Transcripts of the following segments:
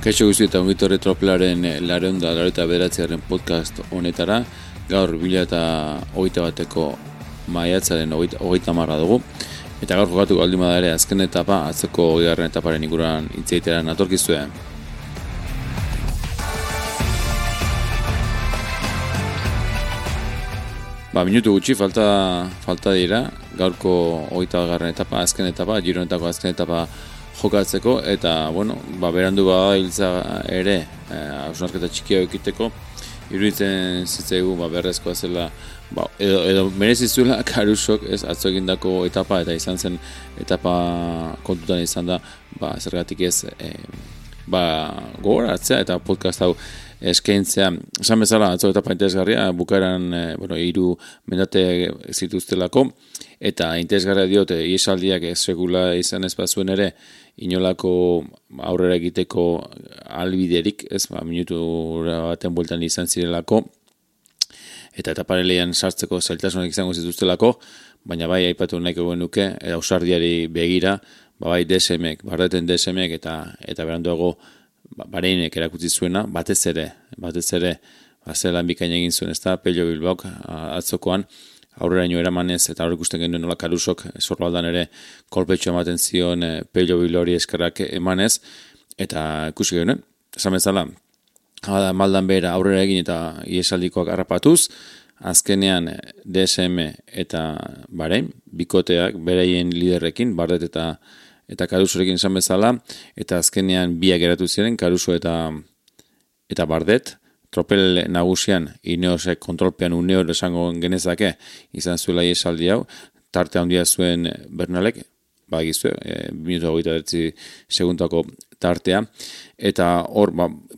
Kaixo guzti eta ongitorre tropelaren lareunda eta bederatziaren podcast honetara. Gaur 2021ko maiatzaren 30 dugu. Eta gaur jokatu baldin bada ere azken etapa, atzeko 20. etaparen inguruan hitz egitera natorkizue. Minutu gutxi falta dira gaurko 20. etapa, azken etapa, Giro honetako azken etapa jokatzeko, eta berandu bada hiltza ere hausnarketa txikia ekiteko. Iruditzen zitzaigu berrezkoa zela, edo merezizuela Karusok atzo egindako etapa, eta izan zen etapa kontutan izan da, zergatik ez gogoratzea eta podcast hau eskaintzea. Esan bezala atzo etapa interesgarria, bukaeran 3 mendate zituztelako, eta interesgarria diote iesaldiak sekula izan ez bazuen ere inolako aurrera egiteko albiderik, minutu baten bueltan izan zirelako, eta etapareleian sartzeko zailtasunak izango zituztelako, baina bai aipatu nahiko genuke, ausardiari begira, bai DSMek, bardeten DSMek eta beranduago Bareinek erakutsi zuena, batez ere, zelan bikain egin zuen, Pello Bilbaok atzokoan, aurreraino eramanez, eta hor ikusten genuen nola Karusok Sorbaldan ere kolpetxo ematen zion Pello Bilbaori eskerrak emanez, eta ikusi genuen, esan bezala, maldan behera aurrera egin eta iesaldikoak harrapatuz, azkenean DSM eta Barein, bikoteak beraien liderrekin, Bardet eta Karusorekin esan bezala, eta azkenean biak geratu ziren, Karuso eta Bardet, tropel nagusian, Ineosek kontrolpean uneoro esango genezake, izan zuela iesaldi hau, tarte handia zuen Bernalek, bagizue, 2:29 segundako tartea, eta hor,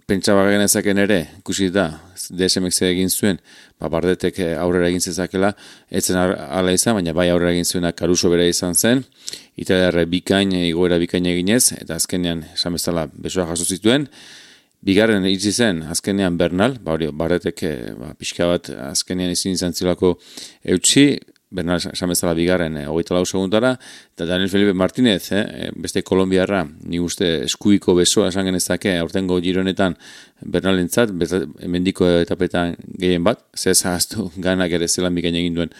pentsaba genezaken ere, ikusi da, DSMek ze egin zuen, Bardetek aurrera egin zezakela, etzen ala izan, baina bai aurrera egin zuena Karuso bera izan zen, italiarre igoera bikain eginez, eta azkenean, esan bezala, besoa jaso zituen, bigarren itzi zen, azkenean Bernal, Bardetek pixka bat azkenean izan zilako eutxi, Bernal esan bezala bigarren 24 segundara, eta Daniel Felipe Martinez, beste kolombiarra, ni uste eskuiko besoa esan genezake, aurtengo Gironetan Bernalentzat, mendiko etapetan gehien bat, zehaztu ganak ere zelan bikain egin duen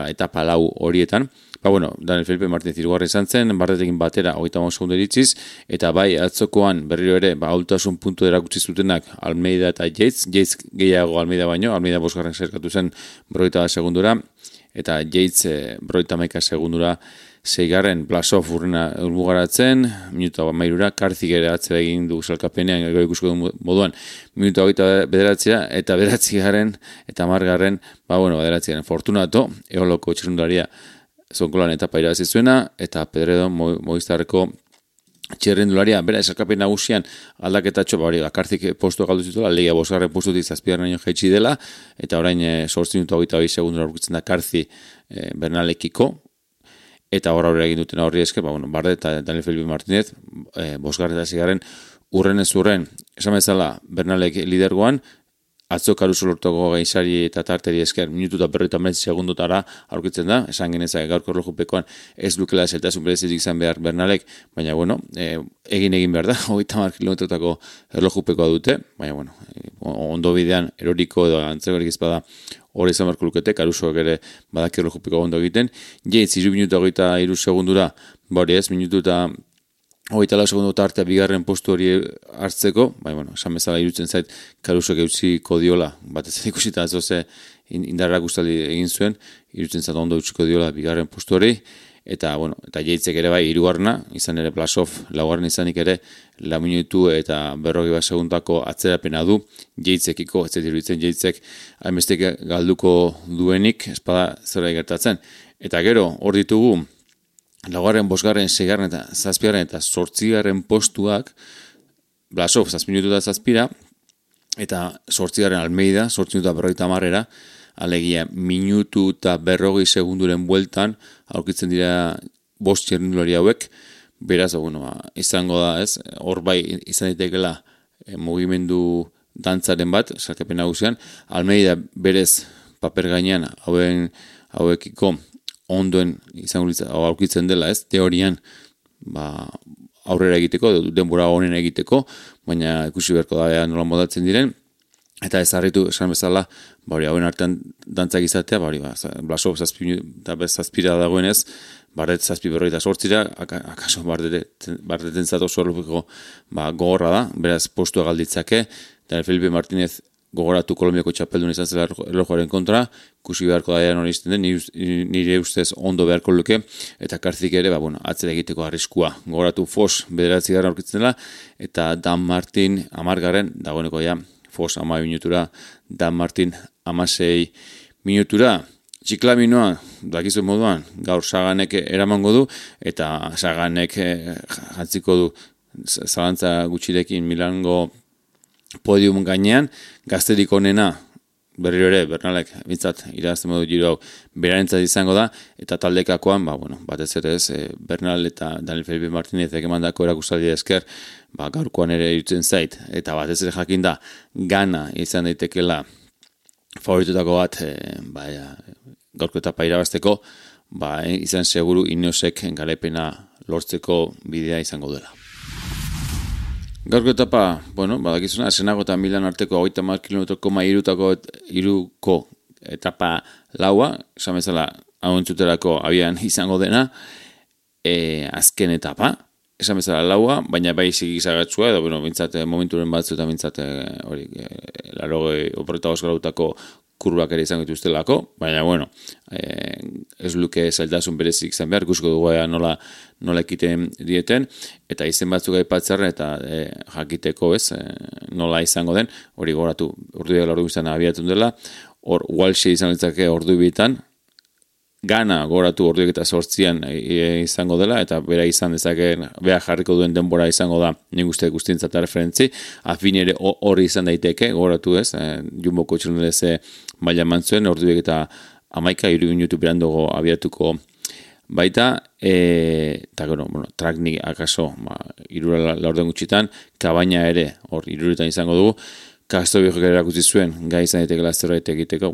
etapa 4 horietan. Daniel Felipe Martinez hirugarren izan zen, Bardetekin batera 35 segundo iritziz, eta bai atzokoan berriro ere, ahultasun puntu erakutsi zutenak Almeida eta Yates gehiago Almeida baino, Almeida 5. zerkatu zen 50 segundura, eta Yates 51 segundura 6. Blasov urrena urmugaratzen, minuta 13, Karzik ere atzera egin du salkapenean, gero ikusko du moduan, minuta 29 eta 9. eta 10. Bederatziaren Fortunato, eoloko txirrundaria zonkolan etapa irabazi zuena, eta Pedredo Movistarreko txirrindularia, bera esakapen nagusian aldaketatxo, Karzik postu galdu zituela, Legia 5. postutik 7. jaitsi dela, eta orain 8 minutu 22 segundura aurkitzen da Karzi Bernalekiko, eta aurrera egin duten horri esker, Bardet eta Daniel Felipe Martinez, 5. eta 6. urrenez urren, esan bezala Bernalek lidergoan, atzo Karuso lortuko gainzari eta tarteri esker minutu eta 50 segundotara aurkitzen da, esan genezak gaurko erlojupekoan ez lukela zeltasun berezitik izan behar Bernalek, baina egin behar da, 30 kilometrotako erlojupekoa dute, baina ondo bidean eroriko edo antzegorik izpada hori izan beharko lukete, Karusoak ere badaki erlojupekoa ondo egiten, Yates 3 minutu 23 segundura, minutu eta 24 segundo tartea bigarren postu hori hartzeko, esan bezala irutzen zait Karusok eutsiko diola, batez ikusita zoze indarrak ustaldi egin zuen, irutzen zait ondo eutsiko diola bigarren postu hori, eta Yatesek ere bai 3. izan ere Blasov 4. izanik ere 4 minutu eta 40 segundako atzerapena du, Yatesekiko, ez iruditzen Yatesek hainbestek galduko duenik, espada zera gertatzen. Eta gero, hor ditugu, 4., 5., 6. eta 7. eta 8. postuak, Blasov 7 minutu eta 7, eta 8. Almeida, 8 minutu eta 50, alegia minutu eta 40 segunduren bueltan, aurkitzen dira 5 txirrindulari hauek, beraz, izango da, hor bai izan ditekela mugimendu dantzaren bat, salkapen nagusian, Almeida berez paper gainean hauekiko ondoen izango aurkitzen dela, teorian aurrera egiteko, denbora honen egiteko, baina ikusi beharko da nola modatzen diren, eta ez harritu, esan bezala, hauen artean dantzak izatea, Blasov zazpira dagoenez, Bardet zazpi berroita sortzira, akaso Bardeten zato zorlupeko gogorra da, beraz postua galditzake, eta Felipe Martínez gogoratu Kolombiako txapeldun izan zela erlojuaren kontra, kusi beharko da hori izten den, nire ustez ondo beharko luke, eta Karzik ere, atzera egiteko arriskua. Gogoratu Fos 9 garren aurkitzen dela, eta Dan Martin 10 garren, dagoeneko Fos 10 minutura, Dan Martin 16 minutura, Txiklaminoa, dakizu moduan, gaur Saganek eramango du, eta Saganek jantziko du zalantza gutxirekin Milango podium gainean, gazterik onena, berriro ere, Bernalek, bintzat, irazten modu giro hau, berarentzat izango da, eta taldekakoan, batez ere ez, Bernal eta Daniel Felipe Martínez ekemandako erakustaldi esker, gaurkoan ere irutzen zait, eta batez ere jakin da, gana izan daitekela favoritutako bat, gaurko etapa irabazteko, izan seguru Ineosek garaipena lortzeko bidea izango dela. Gaurko etapa, badakizuna, Asenago eta Milan arteko 30 kilometroko iruko etapa laua, esan bezala hau entzuterako abian izango dena, azken etapa, esan bezala laua, baina bai zigizagatzua, edo, bintzat, momenturen batzu eta bintzat, oporreta osgarautako kurbak ere izango dituztelako, baina, ez luke zailtasun berezik izan behar, ikusko dugu nola ekiten dieten, eta izen batzuk aipatzarren, eta jakiteko ez, nola izango den, hori goratu, ordu ordu biztan abiatun dela, hor Walshe izan ditzake ordu bitan, Gana goratu orduek eta 8 izango dela, eta bera izan dezake, bera jarriko duen denbora izango da, nik uste guztientzat referentzi, afin ere hori izan daiteke, goratu ez, Jumboko txelundeleze maila mantzuen, orduek eta 11 minutu berandogo abiatuko baita, eta Traknik akaso, 3 laurden gutxitan, Kabaina ere, hor 3 izango dugu, Kastobiok ere erakutsi zuen, gai izan daiteke zerbait egiteko,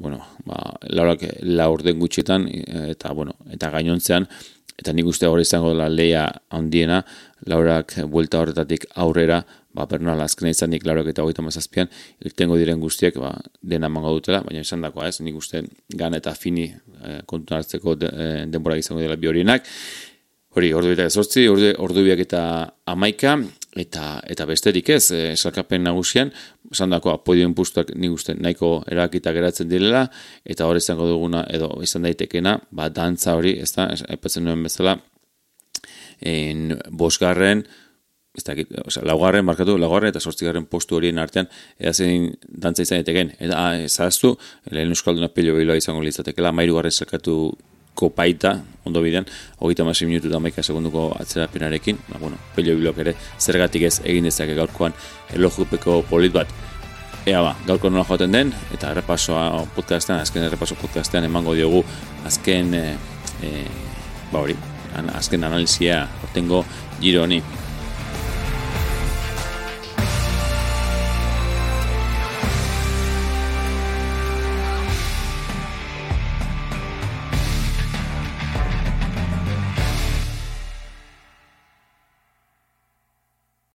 laurak 4 gutxietan, eta gainontzean, eta nik uste hori izango dela lehia handiena, laurak buelta horretatik aurrera, Bernal azkena izanik laurak eta 37an, irtengo diren guztiek, dena emango dutela, baina esan dakoa ez, nik uste Gana eta Fini kontun hartzeko denbora izango dela bi horienak, hori, ordubiak eta 8, ordubiak eta 11, eta besterik ez, salkapen nagusian, esan dakoa, podioen pustuak nik uste nahiko erakita geratzen direla, eta hori izango duguna, edo izan daitekena, dantza hori, ez da, aipatzen nuen bezala, 5. Laugarren eta 8. postu horien artean, edazen dantza izan daiteken, eta zahaztu, lehen euskalduna Pello Biloa izango litzatekela, 13. salkatuko baita, ondo bidean, 36 minutu eta 11 segunduko atzerapenarekin, Pello Biloak ere zergatik ez egin dezake gaurkoan erlojupeko polit bat. Gaurko nola joaten den, eta azken errepaso podcastean emango diogu azken analizia ortengo giro honi.